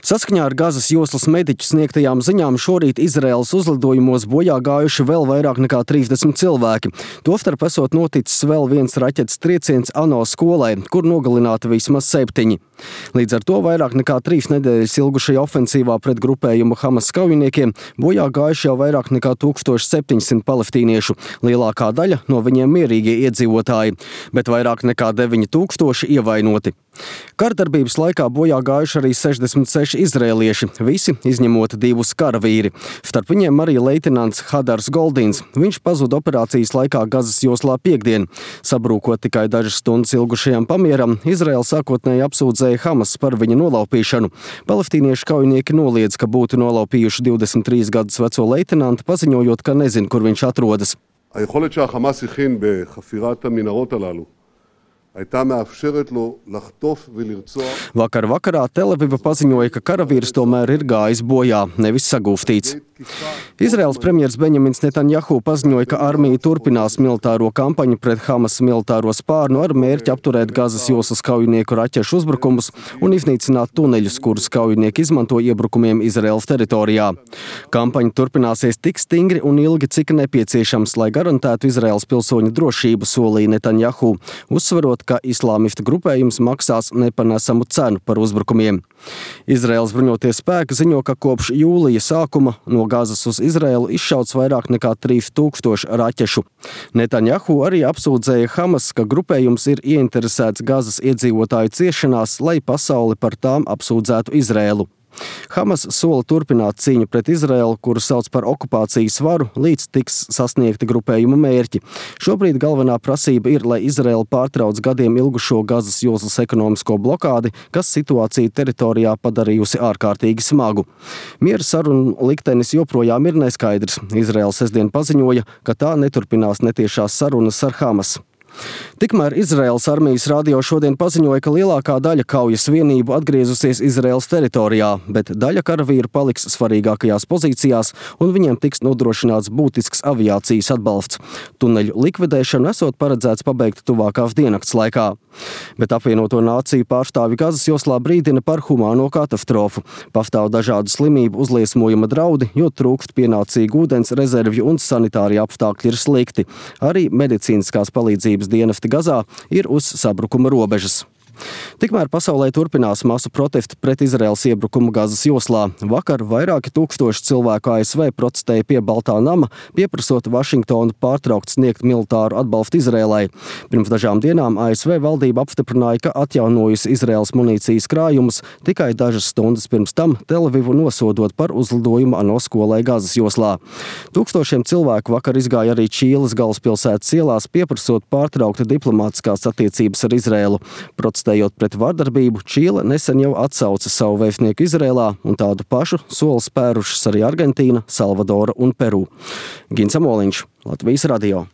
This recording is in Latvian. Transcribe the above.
Saskaņā ar Gazas joslas mediķu sniegtajām ziņām šorīt Izraēlas uzlidojumos bojā gājuši vēl vairāk nekā 30 cilvēki. Tostarp esot noticis vēl viens raķetes trieciens ANO skolai, kur nogalināti vismaz 7. Līdz ar to vairāk nekā 3 nedēļas ilgušajā ofensīvā pret grupējumu Hamas kaujiniekiem bojā gājuši jau vairāk nekā 1700 palestīniešu, lielākā daļa no viņiem mierīgie iedzīvotāji, bet vairāk nekā 9000 ievainoti. Kardarbības laikā bojā gājuši arī 66 izrēlieši, visi izņemot 2 karavīri. Starp viņiem arī leitenants Hadars Goldins. Viņš pazuda operācijas laikā Gazas joslā piektdien. Sabrūkot tikai dažas stundas ilgušajam pamieram, Izraēla sākotnēji apsūdzēja Hamas par viņa nolaupīšanu. Palestīniešu kaujinieki noliedz, ka būtu nolaupījuši 23 gadus veco leitenantu, paziņojot, ka nezin, kur viņš atrodas. היכולת שהחמאס הכין בחפירת המנהרות הללו הייתה מאפשרת לו לחטוף ולרצוח. Vakar vakarā Tel Aviva paziņoja, ka karavīrs tomēr ir gājis bojā, nevis sagūstīts. Izraēlas premjers Benjamins Netanjahu paziņoja, ka armija turpinās militāro kampaņu pret Hamas militāro spārnu ar mērķi apturēt Gazas joslas kaujinieku raķešu uzbrukumus un iznīcināt tuneļus, kurus kaujinieki izmanto iebrukumiem Izraēlas teritorijā. Kampaņa turpināsies tik stingri un ilgi, cik nepieciešams, lai garantētu Izraēlas pilsoņu drošību, solīja Netanjahu, uzsverot, ka islāmistu grupējums maksās nepanesamu cenu par uzbrukumiem. Izraēlas bruņotie spēki ziņo, ka kopš jūlija sākuma no Gazas uz Izraēlu izšauts vairāk nekā 3000 raķešu. Netanjahu arī apsūdzēja Hamas, ka grupējums ir ieinteresēts Gazas iedzīvotāju ciešanās, lai pasauli par tām apsūdzētu Izraēlu. Hamas sola turpināt cīņu pret Izraēlu, kuru sauc par okupācijas varu, līdz tiks sasniegti grupējuma mērķi. Šobrīd galvenā prasība ir, lai Izraēla pārtrauc gadiem ilgušo Gazas joslas ekonomisko blokādi, kas situāciju teritorijā padarījusi ārkārtīgi smagu. Miera sarunu liktenis joprojām ir neskaidrs. Izraēla sestdien paziņoja, ka tā neturpinās netiešās sarunas ar Hamas. Tikmēr Izraēlas armijas radio šodien paziņoja, ka lielākā daļa kaujas vienību atgriezusies Izraēlas teritorijā, bet daļa karavīru paliks svarīgākajās pozīcijās un viņiem tiks nodrošināts būtisks aviācijas atbalsts. Tuneļu likvidēšanu esot paredzēts pabeigt tuvākās diennakts laikā. Bet apvienoto nāciju pārstāvi Gazas joslā brīdina par humāno katastrofu. Pastāv dažādu slimību uzliesmojuma draudi, jo trūkst pienācīgu ūdens rezervju un sanitārie apstākļi ir slikti. Arī medicīniskās palīdzības dienesti Gazā ir uz sabrukuma robežas. Tikmēr pasaulē turpinās masu protesti pret Izraēlas iebrukumu Gazas joslā. Vakar vairāki tūkstoši cilvēku ASV protestēja pie Baltā nama, pieprasot Vašingtonu pārtraukt sniegt militāru atbalstu Izraēlai. Pirms dažām dienām ASV valdība apstiprināja, ka atjaunojusi Izraēlas munīcijas krājumus, tikai dažas stundas pirms tam Tel Avivu nosodot par uzlidojumu ANO skolai Gazas joslā. Tūkstošiem cilvēku vakar izgāja arī Čīles galvaspilsētas ielās, pieprasot pārtraukt diplomātiskās attiecības ar Izraēlu. Protestējot pret vardarbību, Čīle nesen jau atsauca savu vēstnieku Izraēlā, un tādu pašu soli spērušas arī Argentīna, Salvadora un Peru. Gins Amoliņš, Latvijas radio.